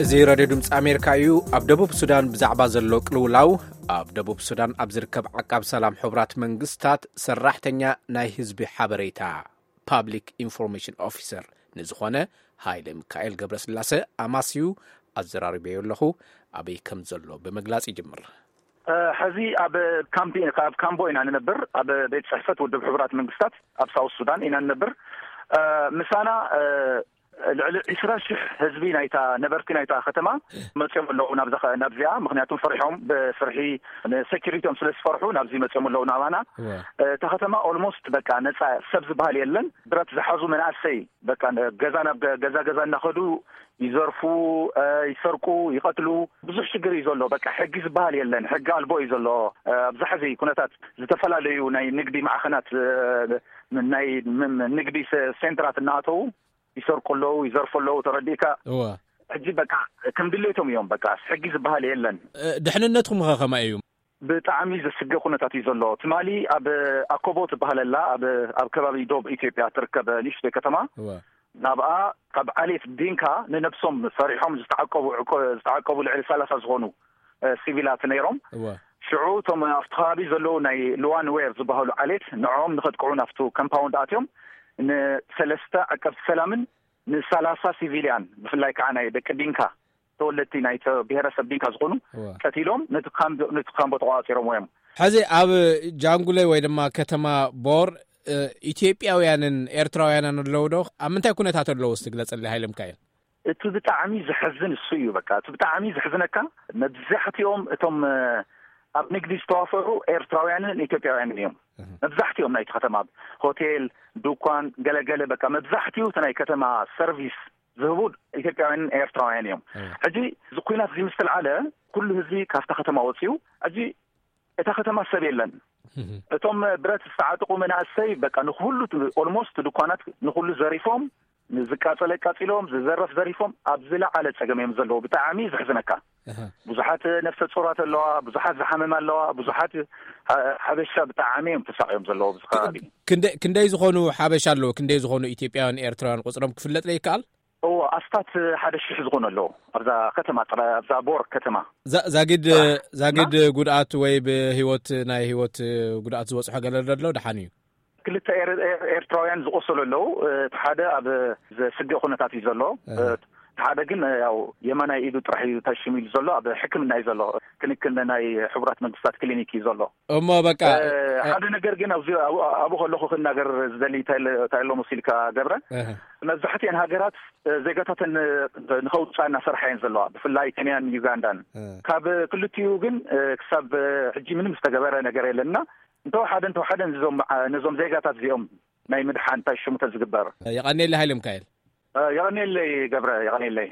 እዚ ሬድዮ ድምፂ ኣሜሪካ እዩ። ኣብ ደቡብ ሱዳን ብዛዕባ ዘሎ ቅልውላው፣ ኣብ ደቡብ ሱዳን ኣብ ዝርከብ ዓቃብ ሰላም ሕቡራት መንግስታት ሰራሕተኛ ናይ ህዝቢ ሓበሬታ፣ ፓብሊክ ኢንፎርሜሽን ኦፊሰር፣ ንዝኾነ ሃይለ ሚካኤል ገብረስላሰ ኣማስዩ ኣዘራሪበዮ ኣለኹ። ኣበይ ከም ዘሎ ብምግላጽ ይጅምር። እ፣ ሕዚ ኣብ ካምፕ፣ ኣብ ካምቦ ኢና ንነብር፣ ኣብ ቤት ጽሕፈት ውድብ ሕቡራት መንግስታት ኣብ ሳውት ሱዳን ኢና ንነብር። እ፣ ምሳና፣ እ፣ ልዕሊ ዕስራ ሽሕ ህዝቢ ናይታ፣ ነበርቲ ናይታ ከተማ መጽዮም ኣለዉ ናብዛ ኸ-፣ ናብዚኣ፣ ምኽንያቱም ፈሪሖም፣ ብፍርሒ ንሴኪሪቲኦም ስለ ዝፈርሑ ናብዚ መጽዮም ኣለዉ ናባና። እዋ። እ፣ እታ ከተማ ኦልሞስት በቃ ነጻ፣ ሰብ ዝበሃል የለን። ብረት ዝሓዙ መናእሰይ በቃ ነ-፣ ገዛ ናብ ገ-፣ ገዛ ገዛ እናኸዱ ይዘርፉ፣ እ፣ ይሰርቁ፣ ይቐትሉ። ብዙሕ ሽግር እዩ ዘሎ። በቃ ሕጊ ዝበሃል የለን። ሕጊ ኣልቦ እዩ ዘሎ። እ፣ ኣብዚ ሕዚ ኩነታት ዝተፈላለዩ ናይ ንግዲ ማዕኸናት፣ እ፣ ናይ ም-፣ ም-፣ ንግዲ ሰ-፣ ሴንትራት እናኣተዉ ይሰርቁ ኣለዉ፣ ይዘርፉ ኣለዉ። ተረዲእካ? እዋ። ሕጂ በቃ ከም ድሌቶም እዮም። በቃ ሕጊ ዝበሃል የለን። እ፣ ድሕንነትኩም ኸ ከመይ እዩ? ብጣዕሚ ዘስግእ ኩነታት እዩ ዘሎ። ትማሊ ኣብ ኣኮቦ ትበሃለላ ኣብ፣ ኣብ ከባቢ ዶብ ኢትዮጵያ ትርከብ ንእሽተይ ከተማ፣ እዋ። ናብኣ ካብ ዓሌት ዲንካ ንነብሶም ፈሪሖም ዝተዓቀቡ ዕቆ-፣ ዝተዓቀቡ ልዕሊ ሰላሳ ዝኾኑ፣ እ፣ ሲቪላት ነይሮም። እዋ። ሽዑ እቶም ኣብቲ ከባቢ ዘለዉ ናይ ሉዋን ዌር ዝበሃሉ ዓሌት ንዕኦም ንኸጥቅዑ ናብቱ ኮምፓውንድ ኣትዮም ንሰለስተ ዓቀብቲ ሰላምን ንሰላሳ ሲቪልያን ብፍላይ ከዓ ናይ ደቂ ዲንካ ተወለድቲ ናይቲ ብሄረሰብ ዲንካ ዝኾኑ እዋ። ቀቲሎም ነቲ ካምፕ፣ ነቲ ካምቦ ተቋፂሮምዎ እዮም። ሕዚ ኣብ ጃንጉለይ ወይ ድማ ከተማ ቦር፣ እ፣ ኢትዮጵያውያንን ኤርትራውያንን ኣለዉ ዶ? ኣብ ምንታይ ኩነታት ኣለዉ? እስቲ ግለጸለይ ሃይለ ሚካኤል። እቲ ብጣዕሚ ዘሕዝን እሱ እዩ። በቃ እቲ ብጣዕሚ ዘሕዝነካ መብዛሕትኦም እቶም፣ እ፣ ኣብ ንግዲ ዝተዋፈሩ ኤርትራውያንን ኢትዮጵያውያንን እዮም። እህ። መብዛሕትኦም ናይቲ ከተማ ሆቴል፣ ዱኳን፣ ገለገለ በቃ መብዛሕትኡ እቲ ናይ ከተማ ሰርቪስ ዝህቡ ኢትዮጵያውያንን ኤርትራውያን እዮም። እህ። ሕጂ እዚ ኩናት እዚ ምስ ተልዓለ ኩሉ ህዝቢ ካብታ ከተማ ወፂኡ። ሕጂ እታ ከተማ ሰብ የለን። እህ። እቶም ብረት ዝተዓጠቑ መናእሰይ በቃ ንኩሉ ኦልሞስት ድኳናት ንኩሉ ዘሪፎም፣ ዝቃጸለ ኣቃጺሎም፣ ዝዘረፍ ዘሪፎም፣ ኣብ ዝለዓለ ጸገም እዮም ዘለዉ። ብጣዕሚ ዘሕዝነካ። ኣሃ። ብዙሓት ነፍሰ ጾራት ኣለዋ፣ ብዙሓት ዝሓመም ኣለዋ፣ ብዙሓት ሓ-፣ ሓበሻ ብጣዕሚ እዮም ተሳቕዮም ዘለዉ ኣብዚ ከባቢ። ክንደ-፣ ክንደይ ዝኾኑ ሓበሻ ኣለዉ? ክንደይ ዝኾኑ ኢትዮጵያውያን ኤርትራውያን ቁጽሮም ክፍለጥ ዶ ይከኣል? እዎ፣ ኣስታት ሓደ ሽሕ ዝኾኑ ኣለዉ ኣብዛ ከተማ ጥራይ፣ ኣብዛ ቦር ከተማ። ዛ-፣ ዛጊድ፣ ጥራሕ። ዛጊድ እና ጉድኣት ወይ ብህይወት፣ ናይ ህይወት ጉድኣት ዝበጽሖ ገለ ዶ ኣሎ? ደሓን እዩ? ክልተ ኤር-፣ ኤር-፣ ኤርትራውያን ዝቆሰሉ ኣለዉ። እቲ ሓደ ኣብ ዘስግእ ኩነታት እዩ ዘሎ። እህ። እቲ ሓደ ግን ያው የማናይ ኢዱ ጥራሕ እዩ ተሽሚሉ ዘሎ፣ ኣብ ሕክምና እዩ ዘሎ። ክንክን ናይ ሕቡራት መንግስታት ክሊኒክ እዩ ዘሎ። እሞ በቃ፣ እ፣ እ፣ ሓደ ነገር ግን ኣብዚ ኣብኡ፣ ኣብኡ ከለኹ ክናገር ዝደሊ እንታይ ኣሎ፣ እንታይ ኣሎ መሲልካ ገብረ? እህ። መብዛሕትኤን ሃገራት፣ እ፣ ዜጋታተን ን-፣ ንኸውፅኣ እናሰርሓ እየን ዘለዋ። ብፍላይ ኬንያን ዩጋንዳን። እ። ካብ ክልቲኡ ግን፣ እ፣ ክሳብ፣ እ፣ ሕጂ ምንም ዝተገበረ ነገር የለን። እና እንተወሓደ፣ እንተወሓደ ነዞም፣ ዓ-፣ ነዞም ዜጋታት እዚኦም ናይ ምድሓን እንታይ ሽሙ ተዝግበር። የቐንየለይ ሃይለ ሚካኤል። እ፣ የቐንየለይ ገብረ፣ የቐንየለይ።